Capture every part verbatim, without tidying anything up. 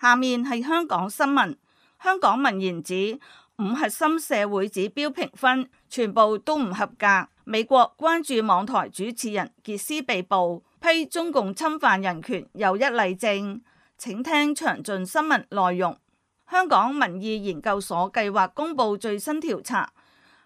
下面係香港新聞。香港民研指五核心社會指標評分全部都唔合格。美國關注網台主持人傑斯被捕，批中共侵犯人權又一例證。請聽詳盡新聞內容。香港民意研究所計劃公布最新調查，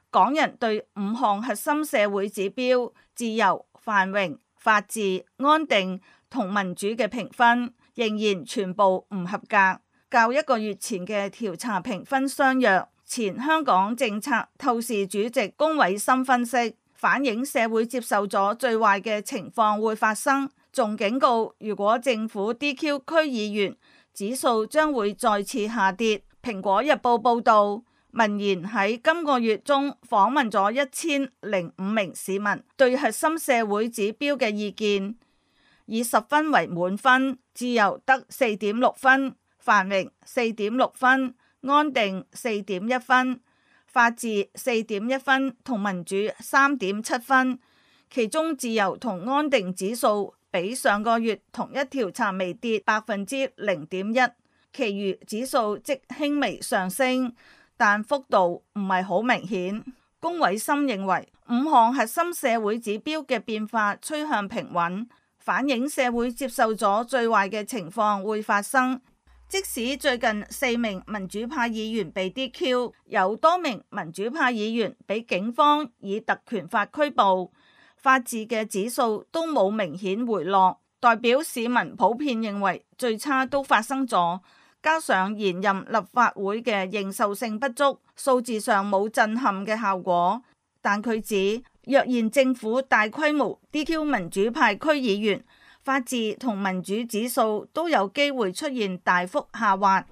港人對五項核心社會指標自由、繁榮、法治、安定同民主嘅評分仍然全部唔合格，較一個月前嘅調查評分相若。前香港政策透視主席龔偉森分析，反映社會接受咗最壞嘅情況會發生，仲警告如果政府 D Q 區議員，指數將會再次下跌。蘋果日報報道，民研喺今個月中訪問咗一千零五名市民對核心社會指標嘅意見，以十分為滿分，自由得四點六分，繁榮四點六分，安定四點一分，法治四點一分，同民主三點七分。其中自由同安定指數比上個月同一調查微跌百分之零點一，其餘指數即輕微上升，但幅度唔係好明顯。龔偉森認為五項核心社會指標嘅變化趨向平穩，反映社會接受咗最壞嘅情況會發生。即使最近四名民主派議員被 D Q， 有多名民主派議員被警方以特權法拘捕，法治嘅指數都冇明顯回落，代表市民普遍認為最差都發生咗，加上現任立法會嘅認受性不足，數字上冇震撼嘅效果。但佢指，若然政府大規模 D Q 民主派區議員，法治同民主指數都有機會出現大幅下滑。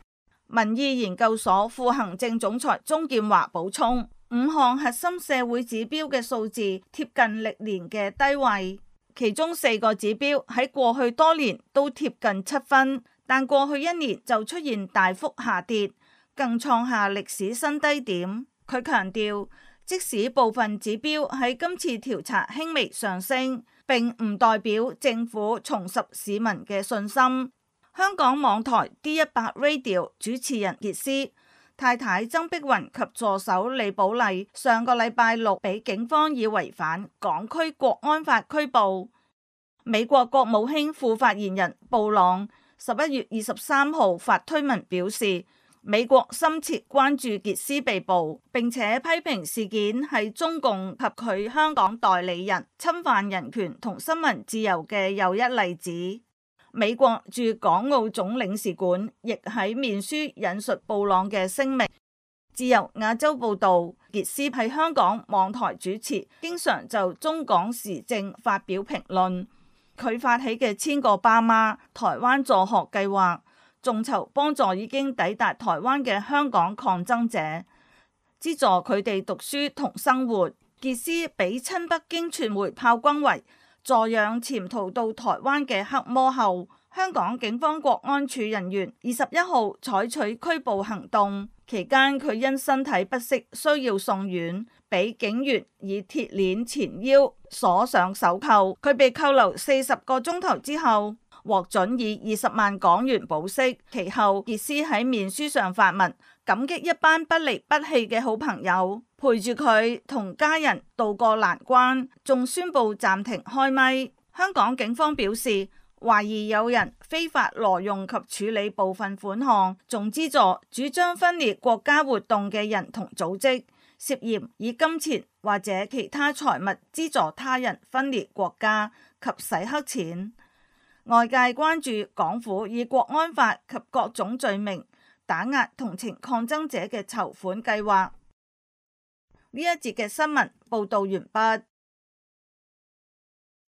民意研究所副行政總裁鍾建華補充，五項核心社會指標嘅數字貼近歷年嘅低位，其中四個指標喺過去多年都貼近七分，但過去一年就出現大幅下跌，更創下歷史新低點。佢強調，即使部分指標喺今次調查輕微上升，並唔代表政府重拾市民嘅信心。香港網台 D 一百 Radio 主持人傑斯太太曾碧雲及助手李寶麗上個禮拜六被警方以違反港區國安法拘捕。美國國務卿副發言人布朗十一月二十三號發推文表示，美國深切關注傑斯被捕，並且批評事件係中共及佢香港代理人侵犯人權同新聞自由嘅又一例子。美國駐港澳總領事館亦喺面書引述布朗嘅聲明。自由亞洲報道，傑斯係香港網台主持，經常就中港時政發表評論。佢發起嘅千個爸媽台灣助學計劃，眾籌幫助已經抵達台灣嘅香港抗爭者，資助佢哋讀書同生活。傑斯被親北京傳媒炮轟為助養潛逃到台灣嘅黑魔后。香港警方國安處人員二十一號採取拘捕行動，期間佢因身體不適需要送院，俾警員以鐵鏈纏腰鎖上手銬。佢被扣留四十個鐘頭之後，獲准以二十萬港元保釋。其後傑斯喺面書上發文感激一班不離不棄嘅好朋友，陪住佢同家人渡過難關，仲宣布暫停開咪。香港警方表示，懷疑有人非法挪用及處理部分款項，仲資助主張分裂國家活動嘅人同組織，涉嫌以金錢或者其他財物資助他人分裂國家及洗黑錢。外界關注港府以國安法及各種罪名打壓同情抗爭者嘅籌款計劃。呢一節嘅新聞報道完畢。